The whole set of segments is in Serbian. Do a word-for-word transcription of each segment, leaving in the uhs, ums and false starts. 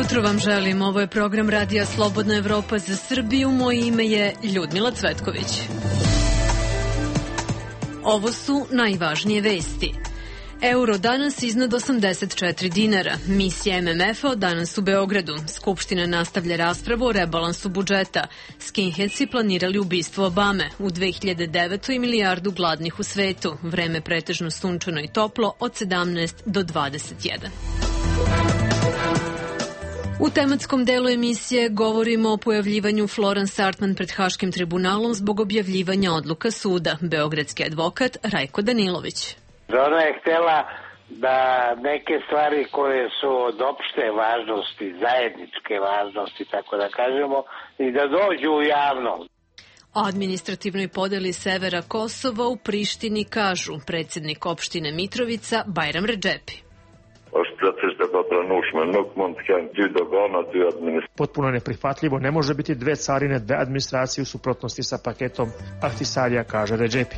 jutro vam želim. Ovo je program Radija Slobodna Evropa za Srbiju. Moje ime je Ljudmila Cvetković. Ovo su najvažnije vesti. Euro danas iznad osamdeset četiri dinara. Misija M M F-a od danas u Beogradu. Skupština nastavlja raspravu o rebalansu budžeta. Skinheadsi planirali ubistvo Obame. U dve hiljade devetoj milijardu gladnih u svetu. Vreme pretežno sunčano i toplo od sedamnaest do dvadeset jedan. U tematskom delu emisije govorimo o pojavljivanju Florence Artman pred Haškim tribunalom zbog objavljivanja odluka suda. Beogradski advokat Rajko Danilović. Ona je htjela da neke stvari koje su od opšte važnosti, zajedničke važnosti, tako da kažemo, i da dođu u javnost. O administrativnoj podeli severa Kosova u Prištini kažu predsjednik opštine Mitrovica Bajram Redžepi. Potpuno neprihvatljivo, ne može biti dve carine, dve administracije u suprotnosti sa paketom Ahtisarija, kaže Redžepi.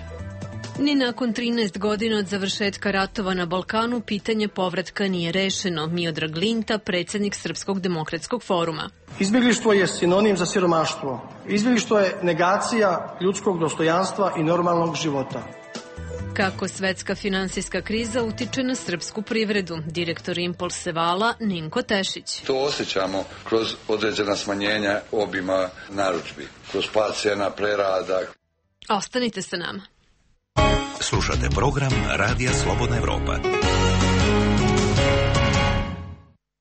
Ni nakon trinaest godina od završetka ratova na Balkanu pitanje povratka nije rešeno. Miodrag Linta, predsjednik Srpskog demokratskog foruma. Izbjeglištvo je sinonim za siromaštvo. Izbjeglištvo je negacija ljudskog dostojanstva i normalnog života. Kako svetska finansijska kriza utiče na srpsku privredu? Direktor Impulse Vala Ninko Tešić. To osjećamo kroz određena smanjenja obima narudžbi, kroz pad cijena prerada. Ostanite sa nama. Slušate program Radija Slobodna Evropa.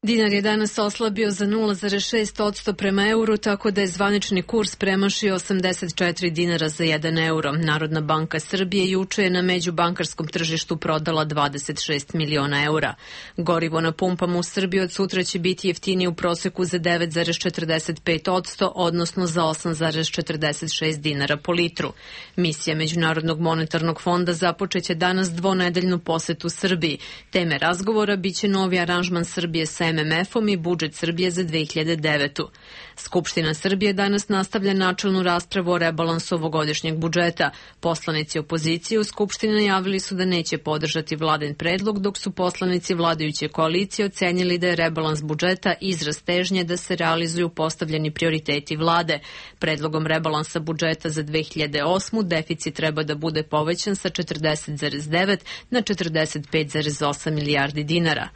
Dinar je danas oslabio za nula zarez šest posto prema euru, tako da je zvanični kurs premašio osamdeset četiri dinara za jedan euro. Narodna banka Srbije juče je na međubankarskom tržištu prodala dvadeset šest miliona eura. Gorivo na pumpama u Srbiji od sutra će biti jeftinije u proseku za devet zarez četrdeset pet posto, odnosno za osam zarez četrdeset šest dinara po litru. Misija Međunarodnog monetarnog fonda započeće danas dvonedeljnu posetu Srbiji. Teme razgovora biće novi aranžman Srbije sa M M F-om i budžet Srbije za dve hiljade devetu. Skupština Srbije danas nastavlja načelnu raspravu o rebalansu ovogodišnjeg budžeta. Poslanici opozicije u Skupštini najavili su da neće podržati vladin predlog, dok su poslanici vladajuće koalicije ocenjili da je rebalans budžeta izraz težnje da se realizuju postavljeni prioriteti vlade. Predlogom rebalansa budžeta za dve hiljade osmu deficit treba da bude povećan sa četrdeset zarez devet na četrdeset pet zarez osam milijardi dinara.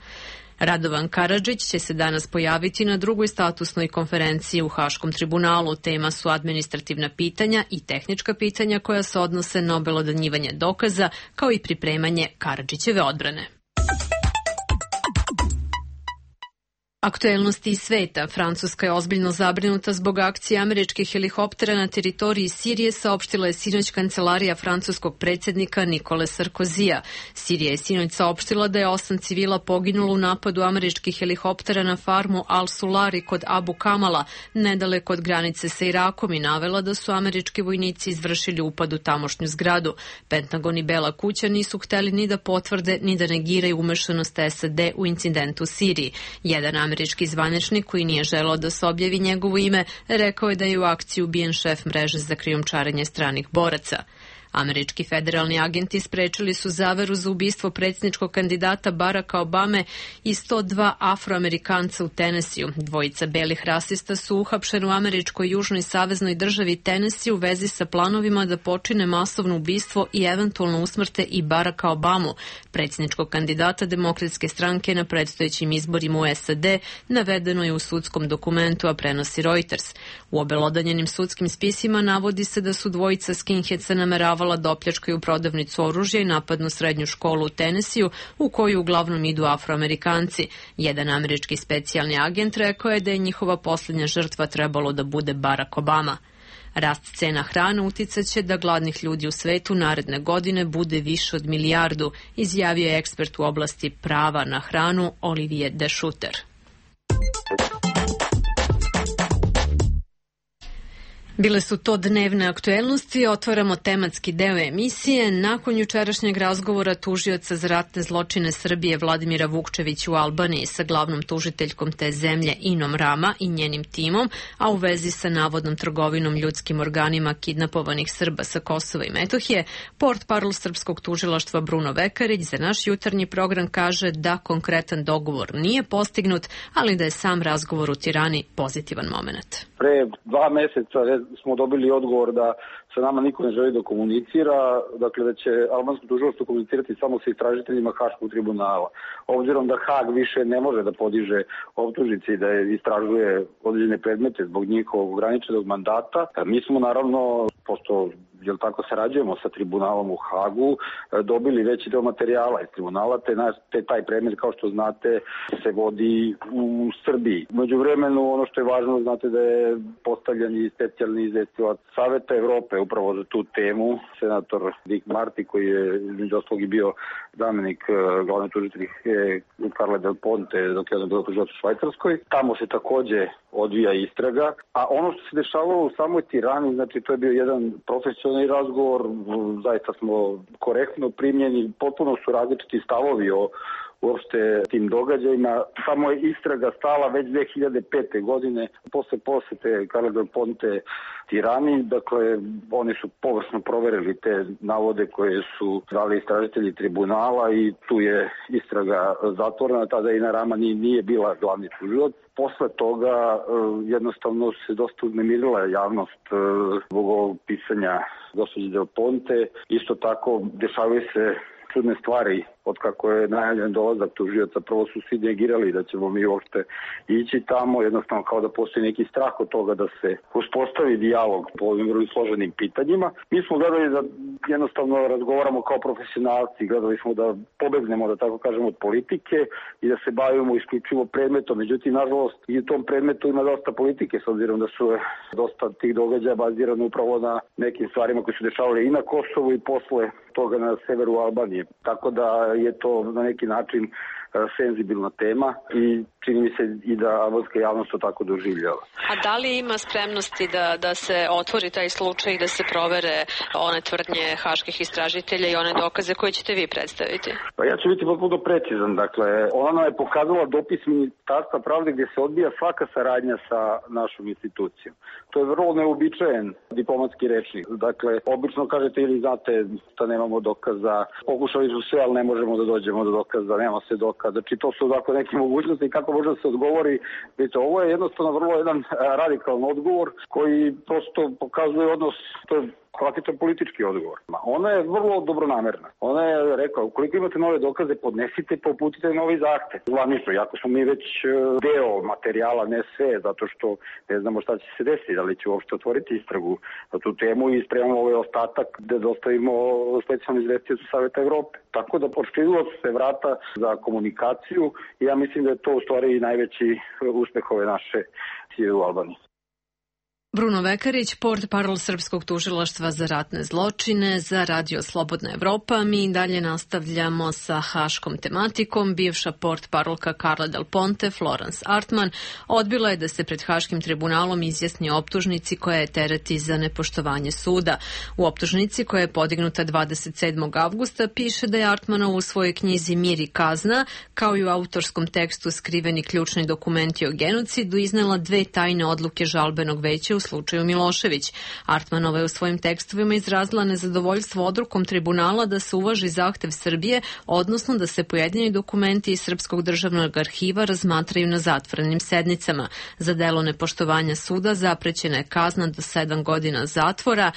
Radovan Karadžić će se danas pojaviti na drugoj statusnoj konferenciji u Haškom tribunalu. Tema su administrativna pitanja i tehnička pitanja koja se odnose na obelodanjivanje dokaza, kao i pripremanje Karadžićeve odbrane. Aktuelnosti iz sveta. Francuska je ozbiljno zabrinuta zbog akcije američkih helikoptera na teritoriji Sirije, saopštila je sinoć kancelarija francuskog predsjednika Nikole Sarkozija. Sirija je sinoć saopštila da je osam civila poginulo u napadu američkih helikoptera na farmu Al-Sulari kod Abu Kamala, nedaleko od granice sa Irakom, i navela da su američki vojnici izvršili upad u tamošnju zgradu. Pentagon i Bela kuća nisu hteli ni da potvrde ni da negiraju umešanost S A D u incidentu u Siriji. Jedan američki zvaničnik koji nije želeo da se objavi njegovo ime rekao je da je u akciji ubijen šef mreže za krijumčarenje stranih boraca. Američki federalni agenti sprečili su zaveru za ubistvo predsjedničkog kandidata Baracka Obame i sto dva Afroamerikanca u Tenesiju. Dvojica belih rasista su uhapšeni u američkoj južnoj saveznoj državi Tenesiju u vezi sa planovima da počine masovno ubistvo i eventualno usmrte i Baracka Obamu, predsjedničkog kandidata Demokratske stranke na predstojećim izborima u S A D, navedeno je u sudskom dokumentu, a prenosi Reuters. U obelodanjenim sudskim spisima navodi se da su dvojica skinheadsa nameravali da opljačkaju prodavnicu oružja i napadnu srednju školu u Tenesiju, u koju uglavnom idu Afroamerikanci. Jedan američki specijalni agent rekao je da je njihova posljednja žrtva trebalo da bude Barack Obama. Rast cena hrane uticaće da gladnih ljudi u svetu naredne godine bude više od milijardu, izjavio je ekspert u oblasti prava na hranu Olivier de Schutter. Bile su to dnevne aktuelnosti, otvaramo tematski deo emisije. Nakon jučerašnjeg razgovora tužioca za ratne zločine Srbije Vladimira Vukčevića u Albaniji sa glavnom tužiteljkom te zemlje Inom Rama i njenim timom, a u vezi sa navodnom trgovinom ljudskim organima kidnapovanih Srba sa Kosova i Metohije, portparol Srpskog tužilaštva Bruno Vekarić za naš jutarnji program kaže da konkretan dogovor nije postignut, ali da je sam razgovor u Tirani pozitivan moment. Pre dva meseca smo dobili odgovor da sa nama niko ne želi da komunicira, dakle da će albansko tužilaštvo komunicirati samo sa istražiteljima Haškog tribunala. Obzirom da Hag više ne može da podiže optužnice i da istražuje određene predmete zbog njihovog ograničenog mandata, mi smo naravno, pošto jel tako sarađujemo sa tribunalom u Hagu, dobili veći deo materijala iz tribunala, te, te taj predmet, kao što znate, se vodi u Srbiji. Među vremenu, ono što je važno, znate da je postavljen i specijalni izvestilac Saveta Evrope upravo za tu temu, senator Dick Marty, koji je između ostalog i bio zamenik glavne tužiteljice Carle Del Ponte dok je on bio tužilac u Švajcarskoj. Tamo se takođe odvija istraga, a ono što se dešavalo u samoj Tirani, znači to je bio jedan profesionalni razgovor, zaista smo korektno primljeni, potpuno su različiti stavovi o uopšte tim događajima. Samo je istraga stala već dve hiljade pete. godine posle posete Carle Del Ponte Tirani. Dakle, oni su površno proverili te navode koje su dali istražitelji tribunala i tu je istraga zatvorena. Tada Ina Rama nije bila glavni tužilac. Posle toga jednostavno se dosta uznemirila javnost zbog ovog pisanja gospođe Del Ponte. Isto tako dešavaju se čudne stvari od kako je najavljen dolazak tužioca. Prvo su svi negirali da ćemo mi uopšte ići tamo, jednostavno kao da postoji neki strah od toga da se uspostavi dijalog po ovim vrlo složenim pitanjima. Mi smo gledali da jednostavno razgovaramo kao profesionalci, gledali smo da pobegnemo, da tako kažemo, od politike i da se bavimo isključivo predmetom. Međutim, nažalost, i u tom predmetu ima dosta politike, s obzirom da su dosta tih događaja bazirano upravo na nekim stvarima koji su dešavali i na Kosovu i posle toga na severu Albanije. Tako da je to na neki način senzibilna tema i čini mi se i da albanska javnost to tako doživljava. A da li ima spremnosti da, da se otvori taj slučaj i da se provere one tvrdnje haških istražitelja i one dokaze koje ćete vi predstaviti? Pa ja ću biti potpuno precizan. Dakle, ona nam je pokazala dopis Ministarstva pravde gdje se odbija svaka saradnja sa našom institucijom. To je vrlo neobičajen diplomatski rečnik. Dakle, obično kažete ili znate da nemamo dokaza, pokušali su sve, ali ne možemo da dođemo do dokaza, nema se dokaza. Znači, to su dakle neke mogućnosti kako može da se odgovori. Vidite, ovo je jednostavno vrlo jedan radikalan odgovor koji prosto pokazuje odnos, to je klasičan politički odgovor. Ona je vrlo dobronamerna. Ona je rekla, ukoliko imate nove dokaze, podnesite, poputite novi zahtev. Zvanično, jako smo mi već deo materijala, ne sve, zato što ne znamo šta će se desiti, da li će uopšte otvoriti istragu na tu temu i spremamo ovaj ostatak da dostavimo specijalnu izvestiocu Saveta Evrope. Tako da počinilo se vrata za komunikaciju i ja mislim da je to u stvari najveći uspeh ove naše sije u Albaniji. Bruno Vekarić, portparol Srpskog tužilaštva za ratne zločine za Radio Slobodna Evropa. Mi dalje nastavljamo sa haškom tematikom. Bivša portparolka Carle Del Ponte, Florence Artman, odbila je da se pred Haškim tribunalom izjasni o optužnici koja je tereti za nepoštovanje suda. U optužnici koja je podignuta dvadeset sedmog avgusta piše da je Artmanova u svojoj knjizi Mir i kazna, kao i u autorskom tekstu Skriveni ključni dokumenti o genocidu, iznela dve tajne odluke žalbenog veća u slučaju Milošević. Artmanova je u svojim tekstovima izrazila nezadovoljstvo odlukom tribunala da se uvaži zahtev Srbije, odnosno da se pojedini dokumenti iz Srpskog državnog arhiva razmatraju na zatvorenim sednicama. Za delo nepoštovanja suda zaprećena je kazna do sedam godina zatvora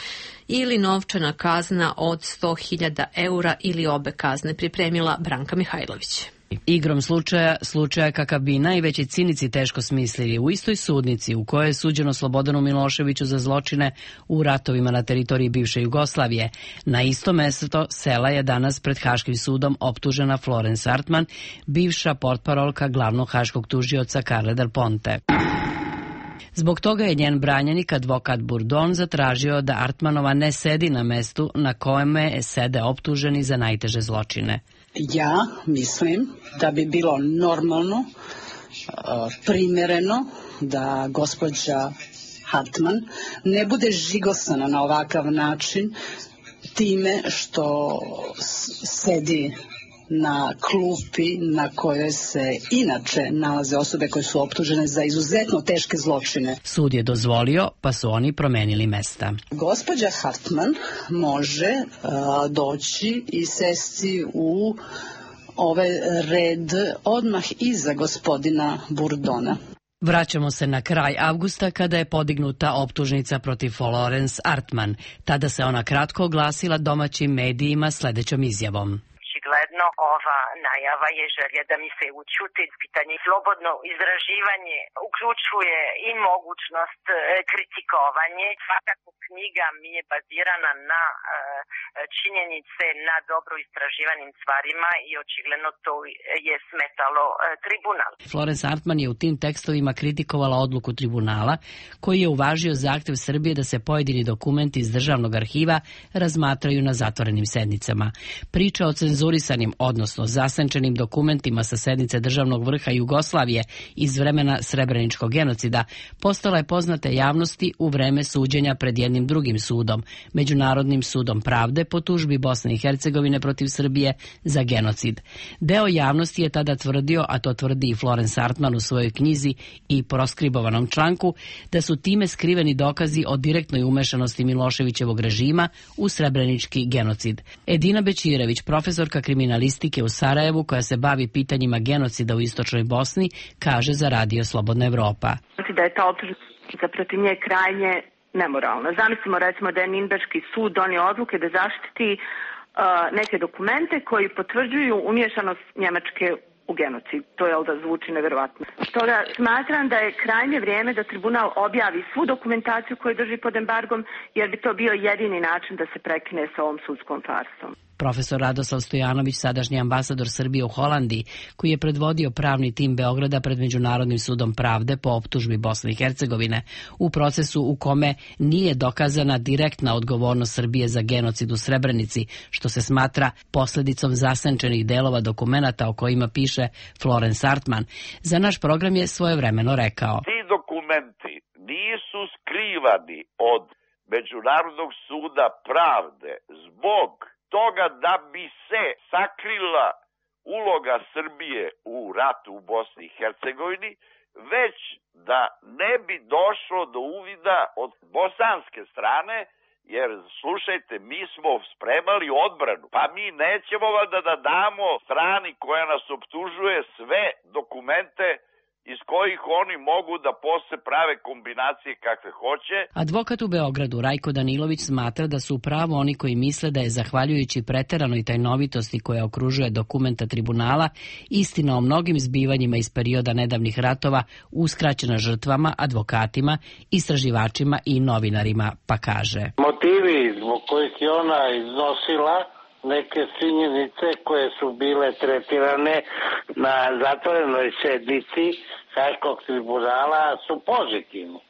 ili novčana kazna od sto hiljada eura ili obe kazne, pripremila Branka Mihajlović. Igrom slučaja, slučaja kakav bi najveći cinici teško smislili, u istoj sudnici u kojoj je suđeno Slobodanu Miloševiću za zločine u ratovima na teritoriji bivše Jugoslavije. Na isto mesto sela je danas pred Haškim sudom optužena Florence Artman, bivša portparolka glavnog haškog tužioca Carle Del Ponte. Zbog toga je njen branjenik, advokat Bourdon, zatražio da Artmanova ne sedi na mestu na kojeme sede optuženi za najteže zločine. Ja mislim da bi bilo normalno, primjereno da gospođa Hartman ne bude žigosana na ovakav način time što sedi na klupi na kojoj se inače nalaze osobe koje su optužene za izuzetno teške zločine. Sud je dozvolio, pa su oni promenili mesta. Gospođa Hartman može uh, doći i sesti u ovaj red odmah iza gospodina Burdona. Vraćamo se na kraj avgusta kada je podignuta optužnica protiv Florence Hartman. Tada se ona kratko oglasila domaćim medijima sledećom izjavom. Očigledno ova najava je želja da mi se učuti pitanje. Slobodno izraživanje uključuje i mogućnost e, kritikovanje. Svakako knjiga mi je bazirana na e, činjenice, na dobro istraživanim stvarima i očigledno to je smetalo e, tribunal. Florence Hartman je u tim tekstovima kritikovala odluku tribunala koji je uvažio zahtev Srbije da se pojedini dokumenti iz državnog arhiva razmatraju na zatvorenim sednicama. Priča o cenzurisanim, odnosno zasenčenim dokumentima sa sednice državnog vrha Jugoslavije iz vremena Srebreničkog genocida postala je poznata javnosti u vreme suđenja pred jednim drugim sudom, Međunarodnim sudom pravde po tužbi Bosne i Hercegovine protiv Srbije za genocid. Deo javnosti je tada tvrdio, a to tvrdi i Florence Hartman u svojoj knjizi i proskribovanom članku, da su time skriveni dokazi o direktnoj umešanosti Miloševićevog režima u Srebrenički genocid. Edina Bećirević, profesorka kriminalistike u Sarajevu koja se bavi pitanjima genocida u istočnoj Bosni, kaže za Radio Slobodna Evropa. Da je ta optužnica protiv nje krajnje nemoralna. Zamislimo recimo da je Ninberški sud donio odluke da zaštiti uh, neke dokumente koji potvrđuju umješanost Njemačke u genocid. To je da zvuči neverovatno. Stoga smatram da je krajnje vrijeme da tribunal objavi svu dokumentaciju koju drži pod embargom, jer bi to bio jedini način da se prekine sa ovom sudskom farsom. Profesor Radoslav Stojanović, sadašnji ambasador Srbije u Holandiji, koji je predvodio pravni tim Beograda pred Međunarodnim sudom pravde po optužbi Bosne i Hercegovine, u procesu u kome nije dokazana direktna odgovornost Srbije za genocid u Srebrenici, što se smatra posledicom zasenčenih delova dokumenata o kojima piše Florence Hartman, za naš program je svojevremeno rekao. Ti dokumenti nisu skrivani od Međunarodnog suda pravde zbog toga da bi se sakrila uloga Srbije u ratu u Bosni i Hercegovini, već da ne bi došlo do uvida od bosanske strane, jer slušajte, mi smo spremali odbranu, pa mi nećemo da, da damo strani koja nas optužuje sve dokumente iz kojih oni mogu da posle prave kombinacije kakve hoće. Advokat u Beogradu Rajko Danilović smatra da su upravo oni koji misle da je zahvaljujući preteranoj tajnovitosti koja okružuje dokumenta tribunala istina o mnogim zbivanjima iz perioda nedavnih ratova uskraćena žrtvama, advokatima, istraživačima i novinarima, pa kaže. Motivi zbog kojih je ona iznosila neke činjenice koje su bile tretirane na zatvorenoj sednici Haškog tribunala su pozitivni.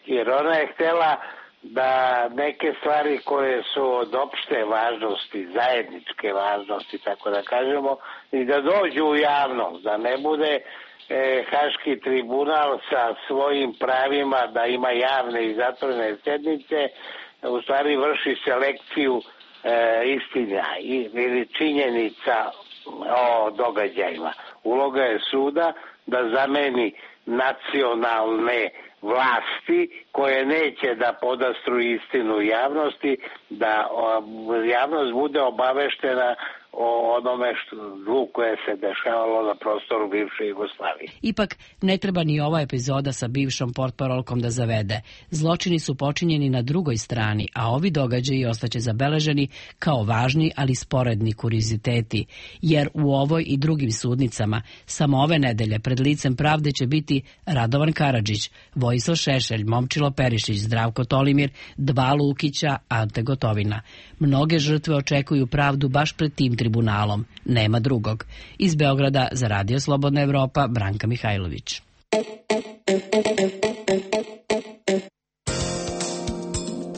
Jer ona je htjela da neke stvari koje su od opšte važnosti, zajedničke važnosti, tako da kažemo, i da dođu u javnost, da ne bude e, Haški tribunal sa svojim pravima da ima javne i zatvorene sednice, u stvari vrši selekciju E, istina ili činjenica o događajima. Uloga je suda da zameni nacionalne vlasti koje neće da podastru istinu javnosti, da o, javnost bude obaveštena o onome što, zlu koje se dešavalo na prostoru bivše Jugoslavije. Ipak ne treba ni ova epizoda sa bivšom portparolkom da zavede. Zločini su počinjeni na drugoj strani, a ovi događaji ostaće zabeleženi kao važni, ali sporedni kurioziteti, jer u ovoj i drugim sudnicama samo ove nedelje pred licem pravde će biti Radovan Karadžić, Vojislav Šešelj, Momčilo Perišić, Zdravko Tolimir, dva Lukića, Ante Gotovina. Mnoge žrtve očekuju pravdu baš pred tim tribunalom. Nema drugog. Iz Beograda za Radio Slobodna Evropa, Branka Mihajlović.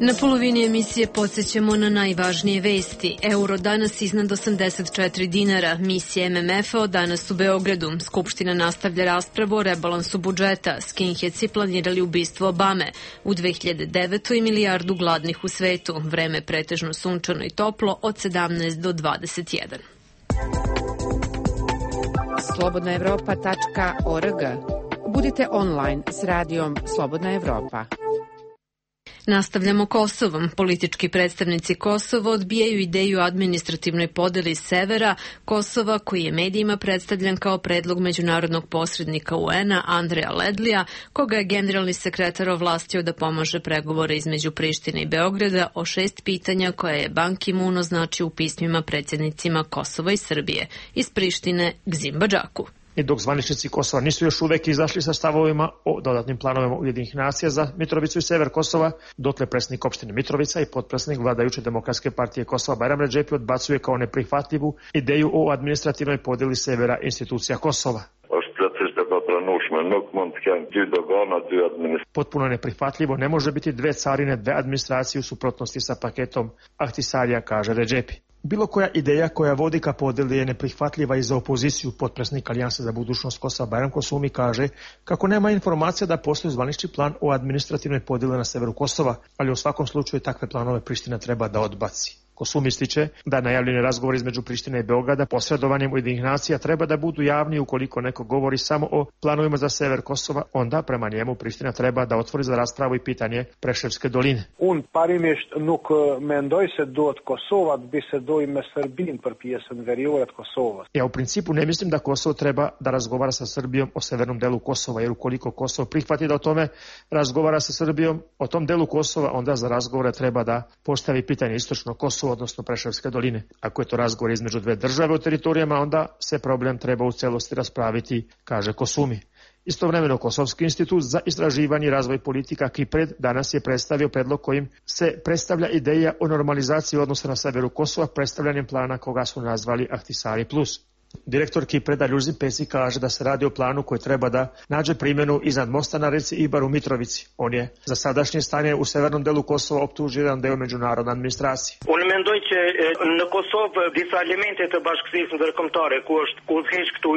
Na polovini emisije podsjećamo na najvažnije vesti. Euro danas iznad osamdeset četiri dinara. Misija M M F-a danas u Beogradu. Skupština nastavlja raspravu o rebalansu budžeta. Skinheadsi planirali ubistvo Obame. U dve hiljade devetoj milijardu gladnih u svetu. Vreme pretežno sunčano i toplo od sedamnaest do dvadeset jedan. slobodna evropa tačka org. Budite online s radijom Slobodna Evropa. Nastavljamo Kosovom. Politički predstavnici Kosova odbijaju ideju o administrativnoj podeli severa Kosova, koji je medijima predstavljan kao predlog međunarodnog posrednika U N-a Andreja Ledlija, koga je generalni sekretar ovlastio da pomaže pregovore između Prištine i Beograda o šest pitanja koje je Ban Ki-moon označio u pismima predsjednicima Kosova i Srbije. Iz Prištine Gzimba Džaku. I dok zvaničnici Kosova nisu još uvek izašli sa stavovima o dodatnim planovima Ujedinjenih nacija za Mitrovicu i sever Kosova, dotle predsjednik opštine Mitrovica i potpredsjednik vladajuće demokratske partije Kosova Bajram Redžepi odbacuje kao neprihvatljivu ideju o administrativnoj podeli severa institucija Kosova. Potpuno neprihvatljivo, ne može biti dve carine, dve administracije u suprotnosti sa paketom Ahtisarija, kaže Redžepi. Bilo koja ideja koja vodi ka podeli je neprihvatljiva i za opoziciju. Potpredsjednik Alijanse za budućnost Kosova Bajram Kosumi kaže kako nema informacija da postoji zvanični plan o administrativnoj podeli na severu Kosova, ali u svakom slučaju takve planove Priština treba da odbaci. Kosum ističe da najavljeni razgovor između Prištine i Beograda posredovanjem Ujedinjenih nacija treba da budu javni. Ukoliko neko govori samo o planovima za sever Kosova, onda prema njemu Priština treba da otvori za raspravu i pitanje Preševske doline. Un parimisht nuk mendoj se duhet Kosova të bisedoj me Serbin për pjesën veriore të Kosovës. Ja u principu ne mislim da Kosovo treba da razgovara sa Srbijom o severnom delu Kosova, jer ukoliko Kosovo prihvati da o tome razgovara sa Srbijom, o tom delu Kosova, onda za razgovore treba da postavi pitanje istočno Kosova, odnosno Preševske doline. Ako je to razgovor između dve države o teritorijama, onda se problem treba u celosti raspraviti, kaže Kosumi. Istovremeno, Kosovski institut za istraživanje i razvoj politika Kipred danas je predstavio predlog kojim se predstavlja ideja o normalizaciji odnosa na severu Kosova predstavljanjem plana koga su nazvali Ahtisari plus. Direktor Kipreda Ljuzin Pesi kaže da se radi o planu koji treba da nađe primjenu iznad mosta na reci Ibar u Mitrovici. On je za sadašnje stanje u severnom delu Kosova optužio jedan deo međunarodne administracije. Unë mendoj që në Kosovë disa elemente të bashkësisë ndërkombëtare ku është ku udhëheq këtu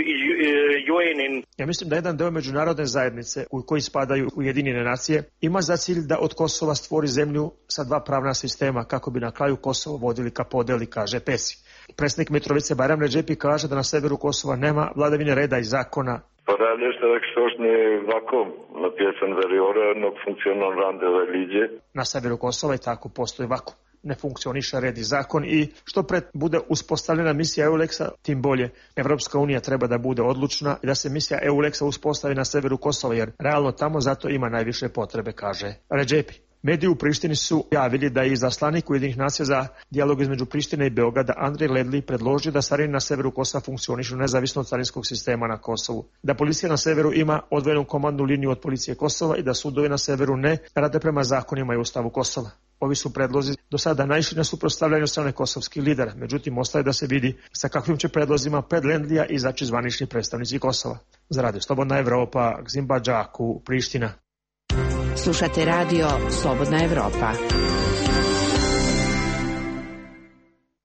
U N-in. Ja mislim da jedan deo međunarodne zajednice u koji spadaju Ujedinjene nacije ima za cilj da od Kosova stvori zemlju sa dva pravna sistema kako bi na kraju Kosovo vodili ka podeli, kaže Pesi. Predsjednik Mitrovice Bajram Redžepi kaže da na severu Kosova nema vladavine reda i zakona. Po realisht edhe kështu është një vakum në pjesën veriore, nuk funksionon rande dhe ligje. Na severu Kosova i tako postoji vakum. Ne funkcioniše red i zakon i što pred bude uspostavljena misija EULEX-a, tim bolje. Evropska unija treba da bude odlučna i da se misija EULEX-a uspostavi na severu Kosova, jer realno tamo zato ima najviše potrebe, kaže Redžepi. Mediji u Prištini su javili da je izaslanik Ujedinjenih nacija za dijalog između Prištine i Beograda Andrej Ledli predložio da carine na severu Kosova funkcionišu nezavisno od carinskog sistema na Kosovu, da policija na severu ima odvojenu komandnu liniju od policije Kosova i da sudovi na severu ne rade prema zakonima i ustavu Kosova. Ovi su predlozi do sada naišli na suprotstavljanje strane kosovskih lidera, međutim ostaje da se vidi sa kakvim će predlozima pred Ledlija izaći zvanični predstavnici Kosova. Za Radio Slobodna Evropa, Gzimba Džaku, Priština. Slušate radio Slobodna Evropa.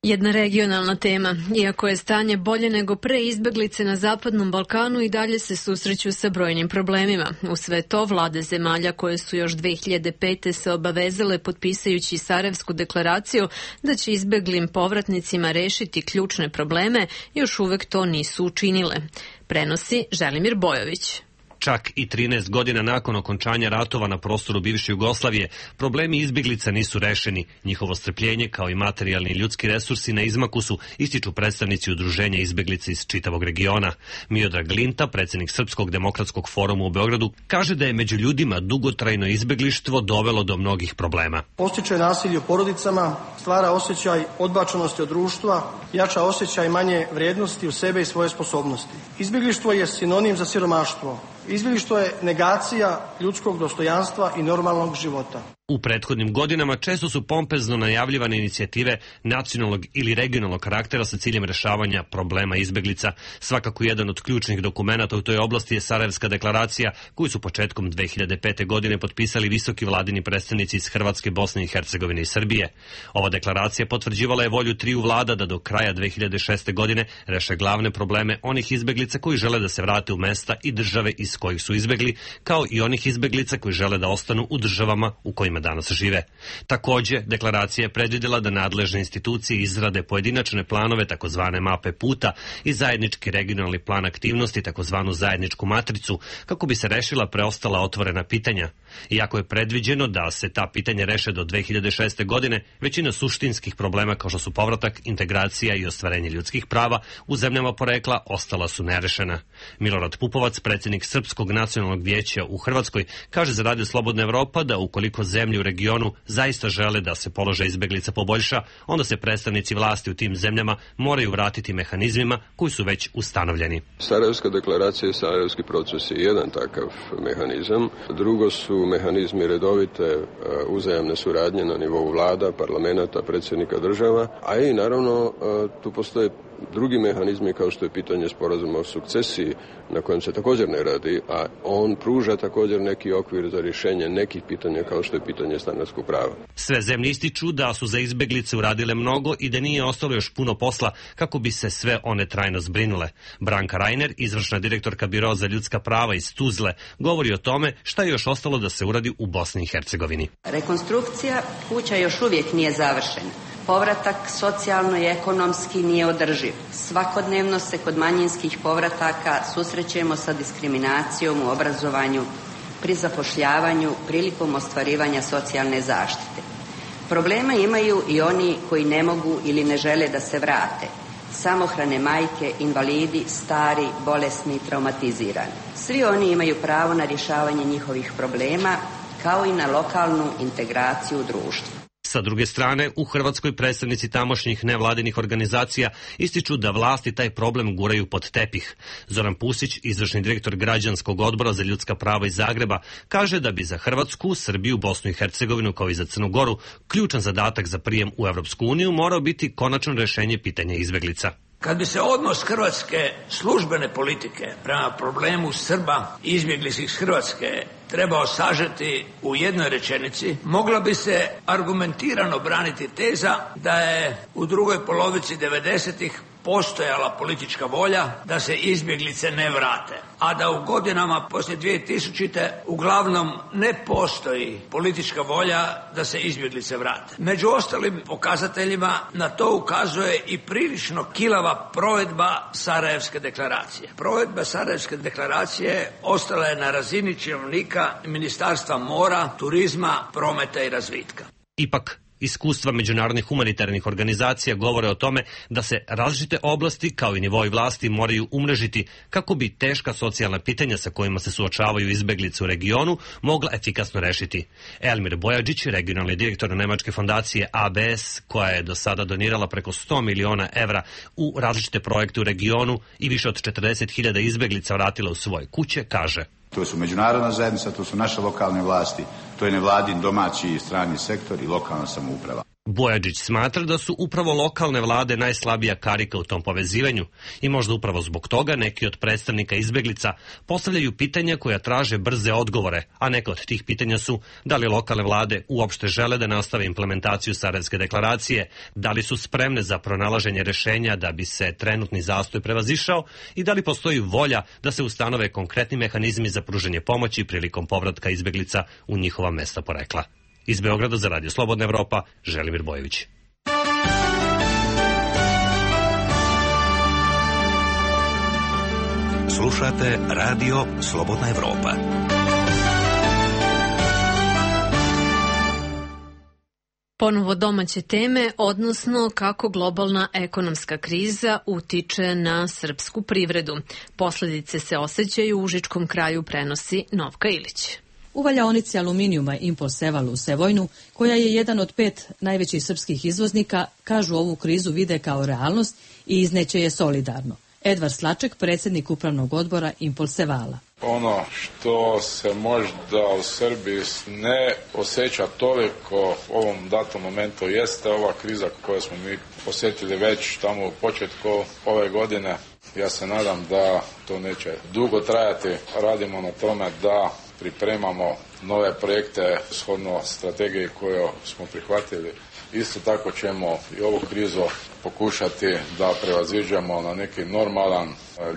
Jedna regionalna tema. Iako je stanje bolje nego pre, izbeglice na Zapadnom Balkanu i dalje se susreću sa brojnim problemima. U sve to, vlade zemalja koje su još dve hiljade pete se obavezale potpisajući Sarajevsku deklaraciju da će izbeglim povratnicima rešiti ključne probleme, još uvek to nisu učinile. Prenosi Želimir Bojović. Čak i trinaest godina nakon okončanja ratova na prostoru bivše Jugoslavije, problemi izbjeglica nisu rešeni. Njihovo strpljenje, kao i materijalni i ljudski resursi na izmaku su, ističu predstavnici udruženja izbjeglica iz čitavog regiona. Miodrag Linta, predsjednik Srpskog demokratskog foruma u Beogradu, kaže da je među ljudima dugotrajno izbjeglištvo dovelo do mnogih problema. Postiče nasilje u porodicama, stvara osjećaj odbačenosti od društva, jača osjećaj manje vrijednosti u sebe i svoje sposobnosti. Izbjeglištvo je sinonim za siromaštvo. Izbjeglištvo je negacija ljudskog dostojanstva i normalnog života. U prethodnim godinama često su pompezno najavljivane inicijative nacionalnog ili regionalnog karaktera sa ciljem rešavanja problema izbeglica. Svakako jedan od ključnih dokumenata u toj oblasti je Sarajevska deklaracija, koju su početkom dve hiljade pete. godine potpisali visoki vladini predstavnici iz Hrvatske, Bosne i Hercegovine i Srbije. Ova deklaracija potvrđivala je volju triju vlada da do kraja dve hiljade šeste. godine reše glavne probleme onih izbeglica koji žele da se vrate u mesta i države iz kojih su izbegli, kao i onih izbeglica koji žele da ostanu u državama u kojima danas žive. Takođe, deklaracija je predvidela da nadležne institucije izrade pojedinačne planove, takozvane mape puta, i zajednički regionalni plan aktivnosti, takozvanu zajedničku matricu, kako bi se rešila preostala otvorena pitanja. Iako je predviđeno da se ta pitanja reše do dve hiljade šeste. godine, većina suštinskih problema kao što su povratak, integracija i ostvarenje ljudskih prava u zemljama porekla ostala su nerešena. Milorad Pupovac, predsjednik Srpskog nacionalnog vijeća u Hrvatskoj, kaže za Radio Slobodna Evropa da ukoliko zemlje u regionu zaista žele da se položaj izbeglica poboljša, onda se predstavnici vlasti u tim zemljama moraju vratiti mehanizmima koji su već ustanovljeni. Sarajevska deklaracija i Sarajevski proces je jedan takav mehanizam. Drugo su mehanizmi redovite uzajamne suradnje na nivou vlada, parlamenta, predsjednika država, a i naravno tu postoje drugi mehanizmi kao što je pitanje sporazuma o sukcesiji na kojem se također ne radi, a on pruža također neki okvir za rješenje nekih pitanja kao što je pitanje stanarskog prava. Sve zemlje ističu da su za izbeglice uradile mnogo i da nije ostalo još puno posla kako bi se sve one trajno zbrinule. Branka Rajner, izvršna direktorka Biroa za ljudska prava iz Tuzle, govori o tome šta je još ostalo da se uradi u Bosni i Hercegovini. Rekonstrukcija kuća još uvijek nije završena. Povratak socijalno i ekonomski nije održiv. Svakodnevno se kod manjinskih povrataka susrećemo sa diskriminacijom u obrazovanju, pri zapošljavanju, prilikom ostvarivanja socijalne zaštite. Problema imaju i oni koji ne mogu ili ne žele da se vrate. Samohrane majke, invalidi, stari, bolesni, traumatizirani. Svi oni imaju pravo na rješavanje njihovih problema, kao i na lokalnu integraciju u društvu. Sa druge strane, u Hrvatskoj predstavnici tamošnjih nevladinih organizacija ističu da vlasti taj problem guraju pod tepih. Zoran Pusić, izvršni direktor Građanskog odbora za ljudska prava iz Zagreba, kaže da bi za Hrvatsku, Srbiju, Bosnu i Hercegovinu kao i za Crnu Goru ključan zadatak za prijem u Evropsku uniju morao biti konačno rešenje pitanja izbeglica. Kad bi se odnos hrvatske službene politike prema problemu Srba izbjeglih iz Hrvatske trebao sažeti u jednoj rečenici, mogla bi se argumentirano braniti teza da je u drugoj polovici devedesetih postojala politička volja da se izbjeglice ne vrate, a da u godinama poslije dvije tisućite uglavnom ne postoji politička volja da se izbjeglice vrate. Među ostalim pokazateljima na to ukazuje i prilično kilava provedba Sarajevske deklaracije. Provedba Sarajevske deklaracije ostala je na razini činovnika Ministarstva mora, turizma, prometa i razvitka. Ipak, iskustva međunarodnih humanitarnih organizacija govore o tome da se različite oblasti kao i nivoi vlasti moraju umrežiti kako bi teška socijalna pitanja sa kojima se suočavaju izbeglice u regionu mogla efikasno rešiti. Elmir Bojađić, regionalni direktor Nemačke fondacije A B S, koja je do sada donirala preko sto miliona evra u različite projekte u regionu i više od četrdeset hiljada izbeglica vratila u svoje kuće, kaže: To su međunarodna zajednica, to su naše lokalne vlasti, to je nevladin, domaći i strani sektor i lokalna samouprava. Bojađić smatra da su upravo lokalne vlade najslabija karika u tom povezivanju i možda upravo zbog toga neki od predstavnika izbeglica postavljaju pitanja koja traže brze odgovore, a neka od tih pitanja su da li lokalne vlade uopšte žele da nastave implementaciju Sarajevske deklaracije, da li su spremne za pronalaženje rešenja da bi se trenutni zastoj prevazišao i da li postoji volja da se ustanove konkretni mehanizmi za pružanje pomoći prilikom povratka izbeglica u njihova mesta porekla. Iz Beograda za Radio Slobodna Evropa, Želimir Bojević. Slušate Radio Slobodna Evropa. Ponovo domaće teme, odnosno kako globalna ekonomska kriza utiče na srpsku privredu. Posledice se osjećaju u užičkom kraju, prenosi Novka Ilić. U valjaonici aluminijuma Imposeval u Sevojnu, koja je jedan od pet najvećih srpskih izvoznika, kažu ovu krizu vide kao realnost i izneće je solidarno. Edvard Slaček, predsjednik upravnog odbora Impulsevala. Ono što se možda u Srbiji ne osjeća toliko u ovom datom momentu jeste ova kriza koju smo mi osjetili već tamo u početku ove godine. Ja se nadam da to neće dugo trajati. Radimo na tome da pripremamo nove projekte shodno strategiji koju smo prihvatili. Isto tako ćemo i ovu krizu pokušati da prevaziđemo na neki normalan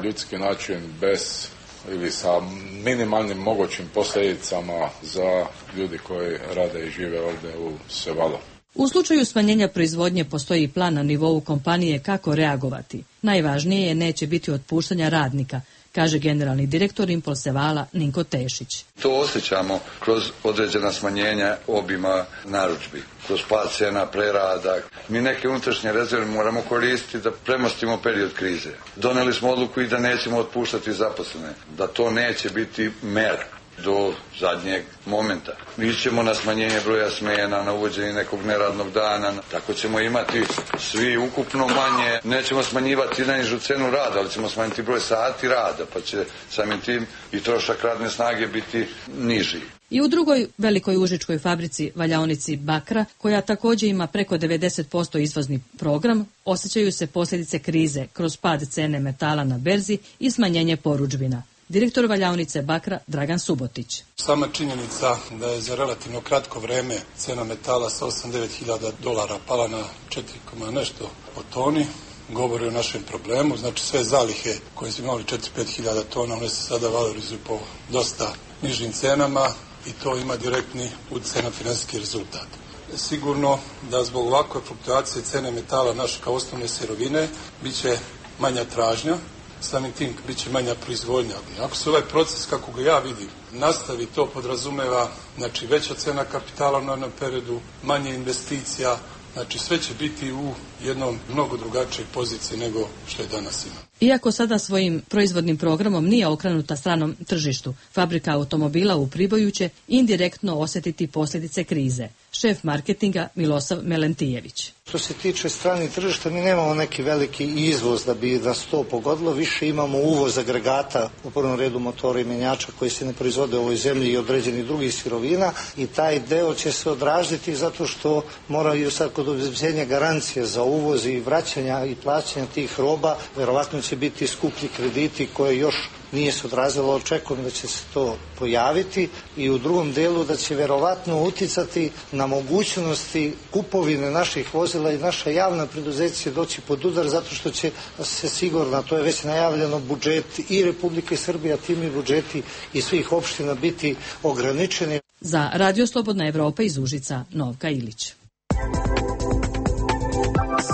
ljudski način bez ili sa minimalnim mogućim posljedicama za ljudi koji rade i žive ovdje u Sevalu. U slučaju smanjenja proizvodnje postoji plan na nivou kompanije kako reagovati. Najvažnije je neće biti otpuštanja radnika, kaže generalni direktor Impulsevala Ninko Tešić. To osjećamo kroz određena smanjenja obima narudžbi, kroz pad cena prerada. Mi neke unutrašnje rezerve moramo koristiti da premostimo period krize. Doneli smo odluku i da nećemo otpuštati zaposlene, da to neće biti mera do zadnjeg momenta. Mi ćemo na smanjenje broja smjena, na uvođenje nekog neradnog dana, tako ćemo imati svi ukupno manje. Nećemo smanjivati najnižu cenu rada, ali ćemo smanjiti broj sati rada, pa će samim tim i trošak radne snage biti niži. I u drugoj velikoj užičkoj fabrici, valjaonici Bakra, koja također ima preko devedeset posto izvozni program, osjećaju se posljedice krize kroz pad cene metala na berzi i smanjenje porudžbina. Direktor valjaonice Bakra Dragan Subotić. Sama činjenica da je za relativno kratko vreme cena metala sa osam do devet hiljada dolara pala na četiri nešto po toni govori o našem problemu. Znači sve zalihe koje su imali četiri do pet hiljada tona, one se sada valorizuju po dosta nižim cenama i to ima direktni utjecaj na financijski rezultat. Sigurno da zbog ovakve fluktuacije cene metala naše kao osnovne sirovine bit će manja tražnja, samim tim bit će manja proizvodnja. Ako se ovaj proces, kako ga ja vidim, nastavi, to podrazumeva znači veća cena kapitala u narednom periodu, manje investicija, znači sve će biti u jednom mnogo drugačijoj poziciji nego što je danas ima. Iako sada svojim proizvodnim programom nije okrenuta stranom tržištu, fabrika automobila u Priboju će indirektno osjetiti posljedice krize. Šef marketinga Milosav Melentijević. Što se tiče stranih tržišta, mi nemamo neki veliki izvoz da bi nas to pogodilo, više imamo uvoz agregata, u prvom redu motora i menjača koji se ne proizvode u ovoj zemlji i određenih drugih sirovina i taj deo će se odražiti zato što moraju sad kod obezbeđenja garancije za uvoz i vraćanja i plaćanja tih roba, verovatno će biti skuplji krediti koje još nije se odrazilo, očekujem da će se to pojaviti i u drugom delu da će verovatno uticati na mogućnosti kupovine naših vozila i naša javna preduzeća doći pod udar zato što će se sigurno, to je već najavljeno, budžet i Republike Srbije, a tim i budžeti i svih opština biti ograničeni. Za Radio Slobodna Evropa iz Užica, Novka Ilić.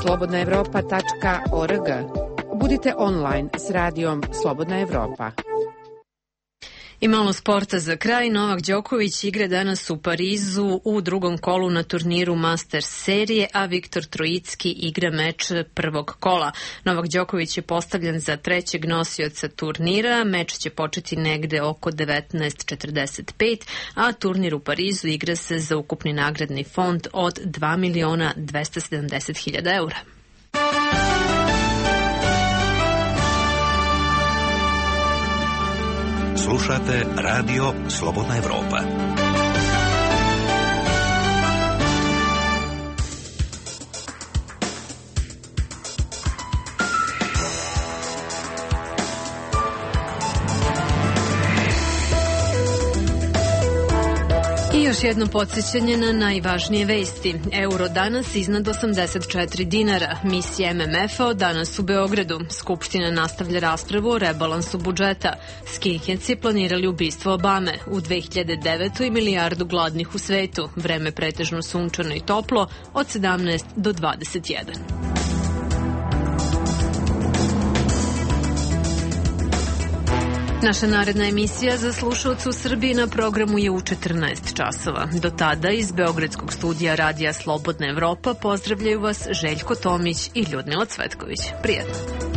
slobodna evropa tačka org. Budite online s radijom Slobodna Evropa. I malo sporta za kraj. Novak Đoković igra danas u Parizu u drugom kolu na turniru Masters serije, a Viktor Trojicki igra meč prvog kola. Novak Đoković je postavljen za trećeg nosioca turnira. Meč će početi negde oko devetnaest četrdeset pet, a turnir u Parizu igra se za ukupni nagradni fond od dva miliona dvesta sedamdeset hiljada eura. Slušate Radio Slobodna Evropa. I još jedno podsjećanje na najvažnije vesti. Euro danas iznad osamdeset četiri dinara. Misija M M F-a danas u Beogradu. Skupština nastavlja raspravu o rebalansu budžeta. Skinheadsi planirali ubistvo Obame. U dve hiljade devetoj milijardu gladnih u svetu. Vreme pretežno sunčano i toplo od sedamnaest do dvadeset jedan. Naša naredna emisija za slušalce u Srbiji na programu je u četrnaest časova. Do tada iz Beogradskog studija Radija Slobodna Evropa pozdravljaju vas Željko Tomić i Ljudmila Cvetković. Prijetno!